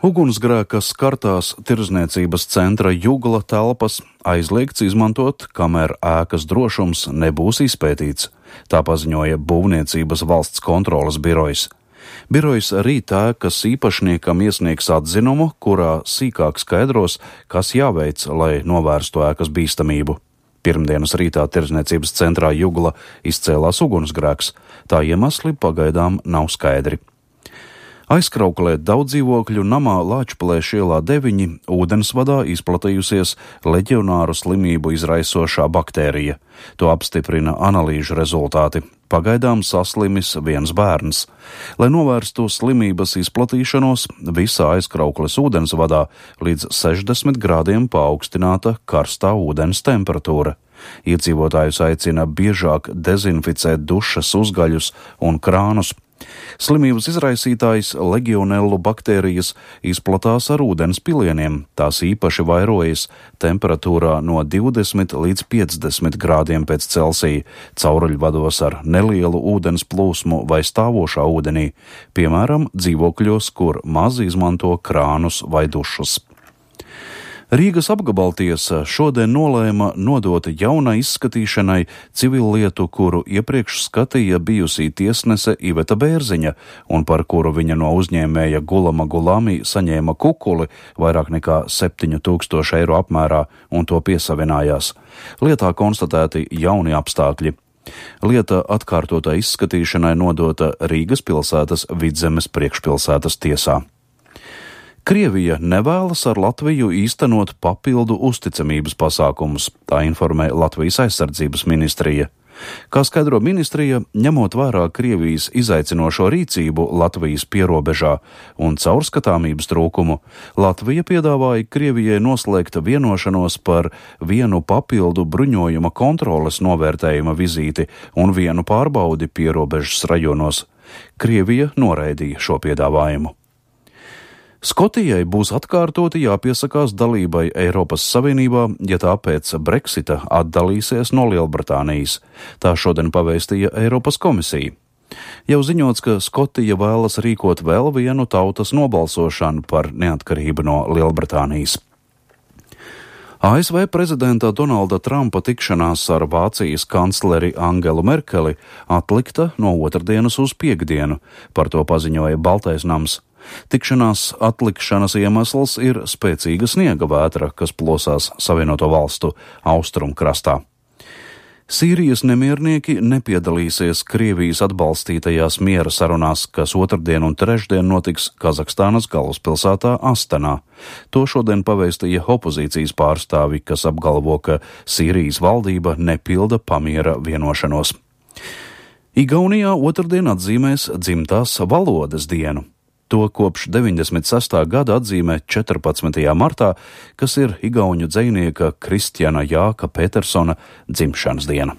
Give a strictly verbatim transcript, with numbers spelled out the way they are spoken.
Ugunsgrēka skartās tirdzniecības centra Jugla telpas aizliegts izmantot, kamēr ēkas drošums nebūs izpētīts, tā paziņoja Būvniecības valsts kontroles birojs. Birojs rīt ēkas īpašniekam iesniegs atzinumu, kurā sīkāk skaidros, kas jāveic, lai novērstu ēkas bīstamību. Pirmdienas rītā tirdzniecības centrā Jugla izcēlās ugunsgrēks, tā iemesli pagaidām nav skaidri. Aizkrauklē daudz dzīvokļu namā Lāčplēša ielā deviņi ūdensvadā izplatījusies leģionāru slimību izraisošā baktērija. To apstiprina analīžu rezultāti. Pagaidām saslimis viens bērns. Lai novērstu slimības izplatīšanos, visā aizkraukles ūdensvadā līdz sešdesmit grādiem paaugstināta karstā ūdens temperatūra. Iedzīvotājus aicina biežāk dezinficēt dušas uzgaļus un krānus. Slimības izraisītājs legionellu baktērijas izplatās ar ūdens pilieniem, tās īpaši vairojas temperatūrā no divdesmit līdz piecdesmit grādiem pēc Celsija, cauruļvados ar nelielu ūdens plūsmu vai stāvošā ūdenī, piemēram, dzīvokļos, kur maz izmanto krānus vai dušas. Rīgas apgabaltiesa šodien nolēma nodot jaunai izskatīšanai civillietu, kuru iepriekš skatīja bijusī tiesnese Iveta Bērziņa un par kuru viņa no uzņēmēja Gulama Gulami saņēma kukuli vairāk nekā septiņu tūkstošu eiro apmērā un to piesavinājās. Lietā konstatēti jauni apstākļi. Lieta atkārtotā izskatīšanai nodota Rīgas pilsētas Vidzemes priekšpilsētas tiesā. Krievija nevēlas ar Latviju īstenot papildu uzticamības pasākumus, tā informē Latvijas aizsardzības ministrija. Kā skaidro ministrija, ņemot vērā Krievijas izaicinošo rīcību Latvijas pierobežā un caurskatāmības trūkumu, Latvija piedāvāja Krievijai noslēgt vienošanos par vienu papildu bruņojuma kontroles novērtējuma vizīti un vienu pārbaudi pierobežas rajonos. Krievija noraidīja šo piedāvājumu. Skotijai būs atkārtoti jāpiesakās dalībai Eiropas Savienībā, ja tā pēc Brexita atdalīsies no Lielbritānijas. Tā šodien pavēstīja Eiropas komisija. Jau ziņots, ka Skotija vēlas rīkot vēl vienu tautas nobalsošanu par neatkarību no Lielbritānijas. A S V prezidenta Donalda Trumpa tikšanās ar Vācijas kancleri Angelu Merkeli atlikta no otrdienas uz piektdienu, par to paziņoja Baltais nams. Tikšanās atlikšanas iemesls ir spēcīga sniega vētra, kas plosās Savienoto valstu austrumkrastā. Sīrijas nemiernieki nepiedalīsies Krievijas atbalstītajās miera sarunās, kas otrdien un trešdien notiks Kazahstānas galvaspilsētā Astanā. To šodien pavēstīja opozīcijas pārstāvi, kas apgalvo, ka Sīrijas valdība nepilda pamiera vienošanos. Igaunijā otrdien atzīmēs dzimtās valodas dienu. To kopš deviņdesmit sestā gada atzīmē četrpadsmitajā martā, kas ir igauņu dzejnieka Kristiana Jāka Petersona dzimšanas diena.